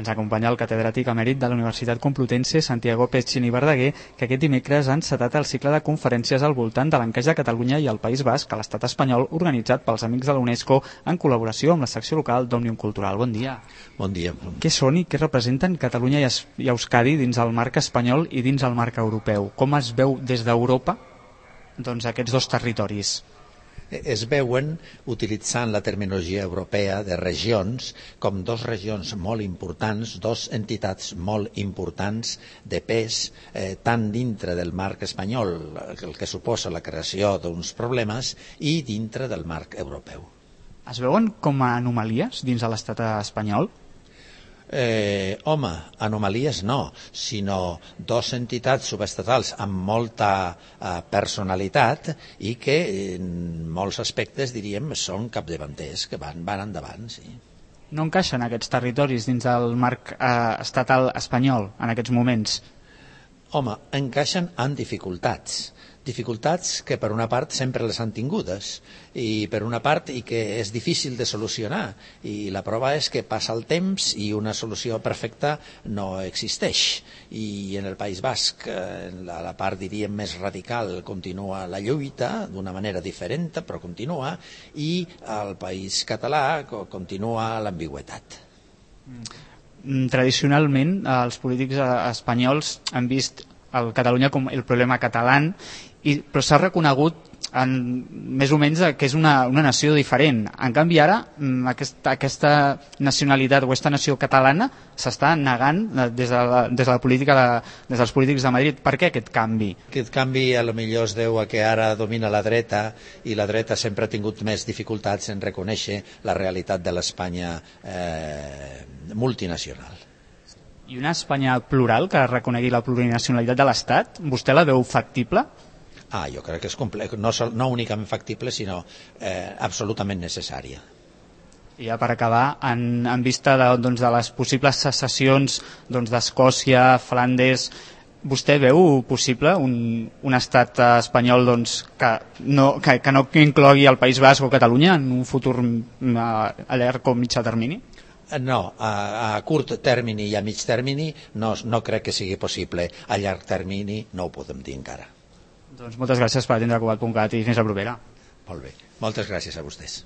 Ens acompanya el catedràtic emèrit de la Universitat Complutense, Santiago Pezzini Verdaguer, que aquest dimecres ha encetat el cicle de conferències al voltant de l'encaix de Catalunya i el País Basc a l'estat espanyol, organitzat pels Amics de la UNESCO en col·laboració amb la secció local d'Òmnium Cultural. Bon dia. Bon dia. Què són i què representen Catalunya i Euskadi dins el marc espanyol i dins el marc europeu? Com es veu des d'Europa aquests dos territoris? Es veuen utilitzant la terminologia europea de regions com dos regions molt importants, dos entitats molt importants de pes, tant dintre del marc espanyol, el que suposa la creació d'uns problemes, i dintre del marc europeu. Es veuen com a anomalies dins de l'estat espanyol? Home, anomalies no, sinó dos entitats subestatals amb molta personalitat i que en molts aspectes, diríem, són capdavanters, que van endavant, sí. No encaixen aquests territoris dins del marc estatal espanyol en aquests moments? Home, encaixen amb dificultats que per una part sempre les han tingudes i per una part i que és difícil de solucionar, i la prova és que passa el temps i una solució perfecta no existeix, i en el País Basc, en la part diríem més radical, continua la lluita d'una manera diferent, però continua, i al País català continua l'ambigüitat. Tradicionalment els polítics espanyols han vist el Catalunya com el problema català, però s'ha reconegut més o menys que és una nació diferent. En canvi ara aquesta nacionalitat o aquesta nació catalana s'està negant des de la política des dels polítics de Madrid. Per què aquest canvi? Aquest canvi a lo millor es deu a que ara domina la dreta, i la dreta sempre ha tingut més dificultats en reconèixer la realitat de l'Espanya multinacional. I una Espanya plural que reconegui la plurinacionalitat de l'Estat, vostè la veu factible? Jo crec que és complex, no únicament factible, sinó absolutament necessària. I ja per acabar, en vista de les possibles secessions d'Escòcia, Flandes, vostè veu possible un estat espanyol que no inclogui el País Basc o Catalunya en un futur a llarg o mitjà termini? No, a curt termini i a mig termini no crec que sigui possible. A llarg termini no ho podem dir encara. Doncs moltes gràcies per atendre Cugat.cat i fins la propera. Molt bé, moltes gràcies a vostès.